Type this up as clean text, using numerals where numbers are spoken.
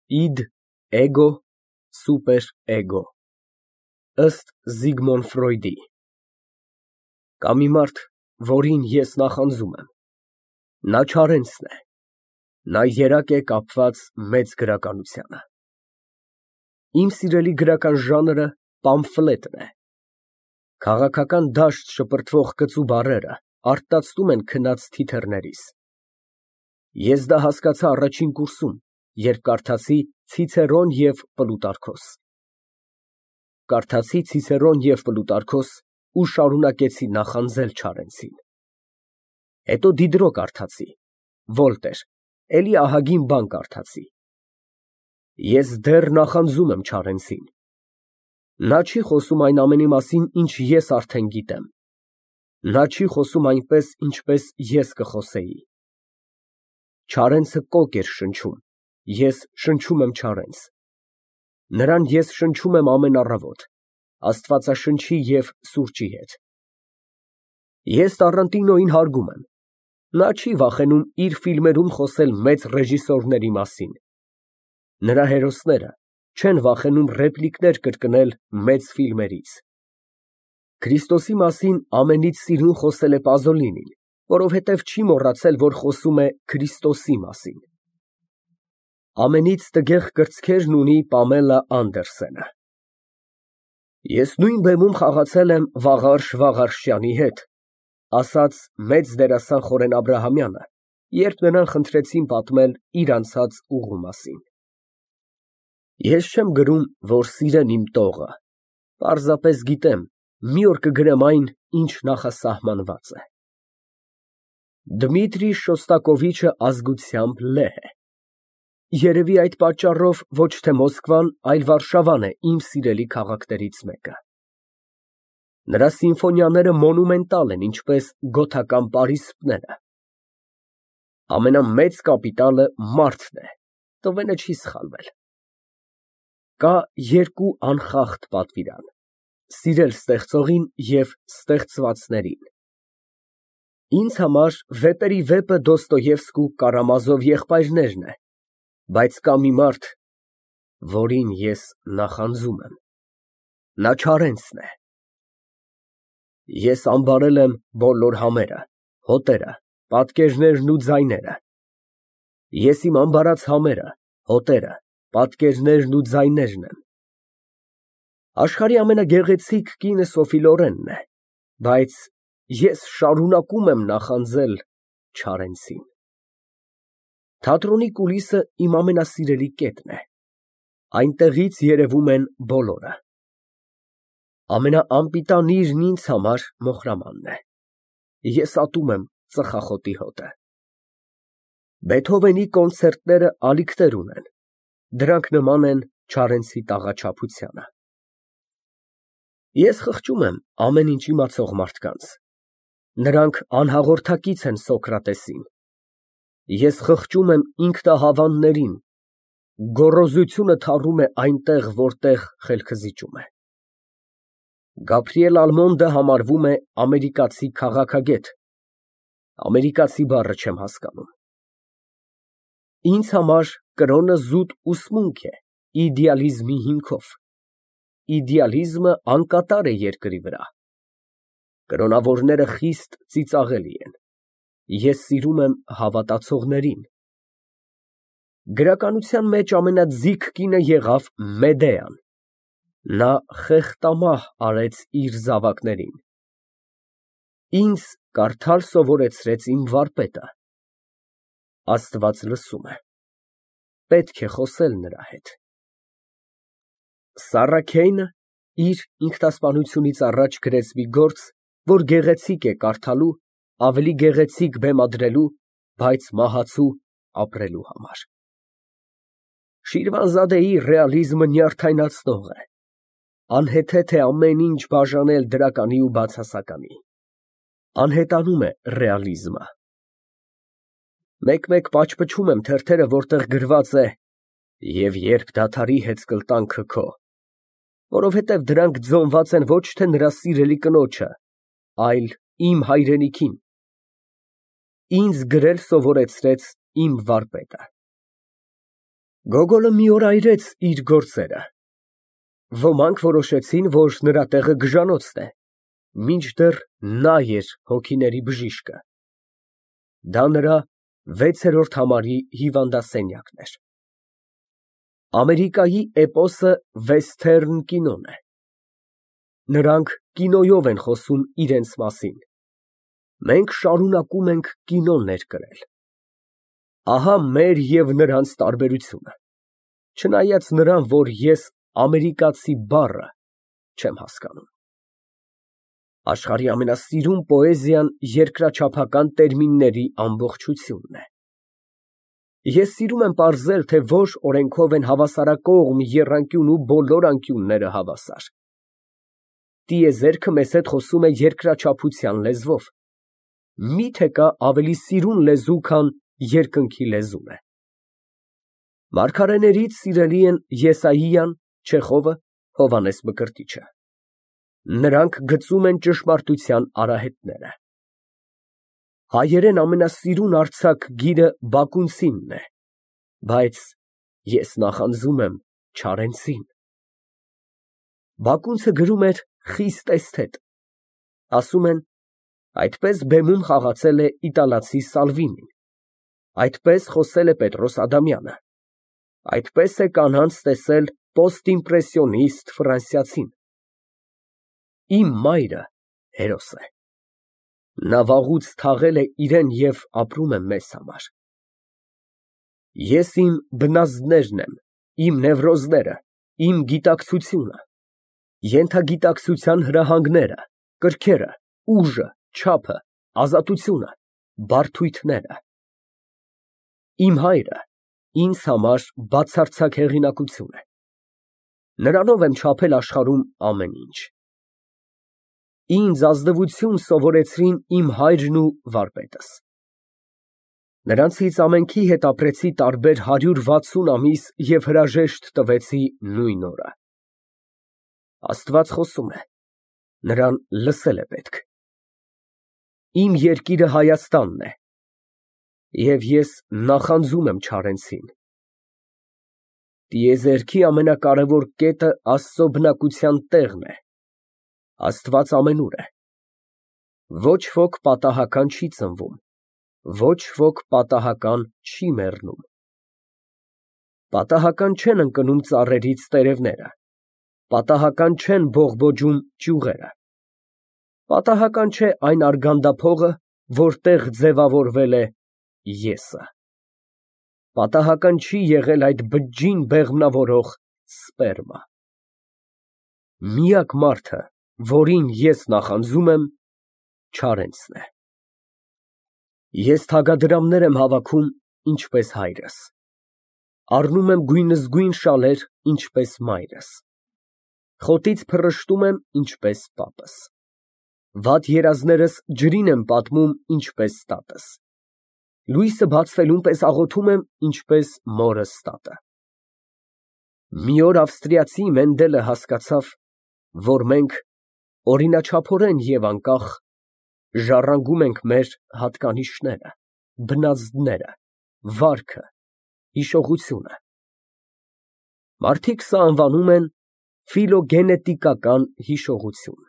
Իդ, էգո, սուպերէգո, ըստ Զիգմոնդ Ֆրոյդի։ Կա մի մարդ, որին ես նախանձում եմ, նա Չարենցն է, նա երակ է կապված մեծ գրականությանը։ Իմ սիրելի գրական ժանրը պամֆլետն է։ Քաղաքական դաշտ շպրտվող կծու բառերը արթնացնում են քնած թիթեռներիս։ Ես դա հասկացա առաջին կուրսում, երբ կարդացի Ցիցերոն և Պլուտարքոս։ Կարդացի Ցիցերոն և Պլուտարքոս ու շարունակեցի նախանձել Չարենցին։ Հետո Դիդրո կարդացի, Վոլտեր, էլի ահագին բան կարդացի։ Ես դեռ նախանձում եմ Չարենցին։ Նա չի խոսում այն ամենի մասին, ինչ ես արդեն գիտեմ։ Նա չի խոսում այնպես, ինչպես ես կխոսեի։ Չարենցը կոկ էր շնչում, ես շնչում եմ Չարենց։ Նրան ես շնչում եմ ամեն առավոտ, աստվածաշնչի և սուրճի հետ։ Ես Տառանտինոյին հարգում եմ։ Նա չի վախենում իր ֆիլմերում խոսել մեծ ռեժիսորների մասին։ Նրա հերոսները չեն վախենում ռեպլիկներ կրկնել մեծ ֆիլմերից։ Քրիստոսի մասին ամենից սիրուն խոսել է Պազոլինին, որովհետև չի մոռացել, որ խոսում է Քրիստոսի մասին։ Ամենից տգեղ կրծքերն ունի Պամելա Անդերսենը։ Ես նույն բեմում խաղացել եմ Վաղարշ Վաղարշյանի հետ, ասաց մեծ դերասան Խորեն Աբրահամյանը, երբ նրան խնդրեցին պատմել իր անցած ուղու մասին։ Ես չեմ գրում, որ սիրեն իմ տողը, պարզապես գիտեմ, մի օր կգրեմ այն, ինչ նախասահմանված է։ Դմիտրի Շոստակովիչը ազգությամբ լեհ է։ Երևի այդ պատճառով ոչ թե Մոսկվան, այլ Վարշավան է իմ սիրելի քաղաքներից մեկը։ Նրա սիմֆոնիաները մոնումենտալ են, ինչպես գոթական պարիսպները։ Ամենամեծ կապիտալը մարդն է, Տվենը չի սխալվել։ Կա երկու անխախտ պատվիրան՝ սիրել ստեղծողին և ստեղծվածներին։ Ինձ համար վեպերի վեպը Դոստոևսկու Կարամազով եղբայրներն է, բայց կա մի մարդ, որին ես նախանձում եմ, նա Չարենցն է։ Ես ամբարել եմ բոլոր համերը, հոտերը, պատկերներն ու ձայները։ Ես իմ ամբարած համերը, հոտերը, պատկերներն ու ձայներն եմ։ Աշխարհի ամենագեղեցիկ կինը Սոֆի Լորենն է, բայց ես շարունակում եմ նախանձել Չարենցին։ Թատրոնի կուլիսը իմ ամենասիրելի կետն է, այնտեղից երևում են բոլորը։ Ամենաանպիտանիրն ինձ համար Մոխրամանն է, ես ատում եմ ծխախոտի հոտը։ Բեթհովենի կոնցերտները ալիքներ ունեն, դրանք նման են Չարենցի տաղաչափությանը։ Ես խղճում եմ ամեն ինչ իմացող մարդկանց, նրանք անհաղորդակից են Սոկրատեսին։ Ես խղճում եմ ինքնահավաններին, գոռոզությունը թառում է այնտեղ, որտեղ խելքը զիջում է։ Գաբրիել Ալմոնդը համարվում է ամերիկացի քաղաքագետ, ամերիկացի բառը չեմ հասկանում։ Ինձ համար կրոնը զուտ ուսմունք է իդեալիզմի հիմքով։ Իդեալիզմը անկատար է երկրի վրա։ Կրոնավորները խիստ ծիծաղելի են։ Ես սիրում եմ հավատացողներին։ Գրականության մեջ ամենաձիգ կինը եղավ Մեդեան։ Նա խեղդամահ արեց իր զավակներին։ Ինձ կարդալ սովորեցրեց իմ վարպետը։ Աստված լսում է։ Պետք է խոսել նրա հետ։ Սառա Քեյնը իր ինքնասպանությունից առաջ գրեց մի գործ, որ գեղեցիկ է կարդալու, ավելի գեղեցիկ բեմադրելու, բայց մահացու ապրելու համար։ Շիրվանզադեի ռեալիզմը նյարդայնացնող է։ Անհեթեթ է ամեն ինչ բաժանել դրականի ու բացասականի։ Անհետանում է ռեալիզմը։ Մեկ-մեկ պաճպճում եմ թերթերը, որտեղ գրված է «Եվ երբ դադարի հեծկլտանքը քո», որովհետև դրանք ձոնված են ոչ թե նրա սիրելի կնոջը, այլ իմ հայրենիքին։ Ինձ գրել սովորեցրեց իմ վարպետը։ Գոգոլը մի օր այրեց իր գործերը։ Ոմանք որոշեցին, որ նրա տեղը գժանոցն է, մինչդեռ նա էր հոգիների բժիշկը։ Դա նրա 6-րդ համարի հիվանդասենյակն էր։ Ամերիկայի էպոսը վեսթերն կինոն է։ Նրանք կինոյով են խոսում իրենց մասին։ Մենք շարունակում ենք կինո ներկրել։ Ահա մեր և նրանց տարբերությունը, չնայած նրան, որ ես ամերիկացի բառը չեմ հասկանում։ Աշխարհի ամենասիրուն պոեզիան երկրաչափական տերմինների ամբողջությունն է։ Ես սիրում եմ պարզել, թե որ օրենքով են հավասարակողմ եռանկյուն ու բոլոր անկյունները հավասար։ Տիեզերքը մեզ հետ խոսում է երկրաչափության լեզվով։ Մի՞թե կա ավելի սիրուն լեզու, քան երկնքի լեզուն է։ Մարգարեներից սիրելի են Եսայիան, Չեխովը, Հովհաննես Մկրտիչը։ Նրանք գծում են ճշմարտության արահետները։ Հայերեն ամենասիրուն արձակ գիրը բակունցինն է, բայց ես նախանձում եմ չարենցին։ Բակունցը գրում էր խիստ էսթետ։ Ասում են, այդպես բեմում խաղացել է իտալացի Սալվինին, այդպես խոսել է Պետրոս Ադամյանը, այդպես է կանանց տեսել պոստիմպրեսիոնիստ ֆրանսիացին։ Իմ մայրը հերոս է։ Նա վաղուց թաղել է իրեն և ապրում է մեզ համար։ Ես իմ բնազդներն եմ, իմ նևրոզները, իմ գիտակցությունը, ենթագիտակցության հրահանգները, կրքերը, ուժը, չափը, ազատությունը, բարդույթները։ Իմ հայրը ինձ համար բացարձակ հեղինակություն է։ Նրանով եմ չափել աշխարհում ամեն ինչ։ Ինձ ազնվություն սովորեցրին իմ հայրն ու վարպետս։ Նրանցից ամենքի հետ ապրեցի տարբեր 160 ամիս և հրաժեշտ տվեցի նույն օրը։ Աստված խոսում է, նրան լսել է պետք։ Իմ երկիրը Հայաստանն է, և ես նախանձում եմ չարենցին։ Տիեզերքի ամենակարևոր կետը Աստծո բնակության տեղն է։ Աստված ամենուր է։ Ոչ ոք պատահական չի ծնվում, ոչ ոք պատահական չի մեռնում։ Պատահական չեն ընկնում ծառերից տերևները, պատահական չեն բողբոջում ճյուղերը, պատահական չէ այն արգանդափողը, որտեղ ձևավորվել է Եսը, պատահական չի եղել այդ բջջին բեղմնավորող սպերմը։ Միակ մարդը, որին ես նախանձում եմ, չարենցն է։ Ես թագադրամներ եմ հավաքում, ինչպես հայրս, առնում եմ գույնզգույն շալեր, ինչպես մայրս, խոտից փռշտում եմ, ինչպես պապս, վատ երազներս ջրին եմ պատմում, ինչպես տատս, լույսը բացվելուն պես աղոթում եմ, ինչպես մորս տատը։ Մի օր ավստրիացի Մենդելը հասկացավ, որ մենք օրինաչափորեն և անկախ ժառանգում ենք մեր հատկանիշները, բնազդները, վարքը, հիշողությունը։ Մարդիկ սա անվանում են ֆիլոգենետիկական հիշողություն։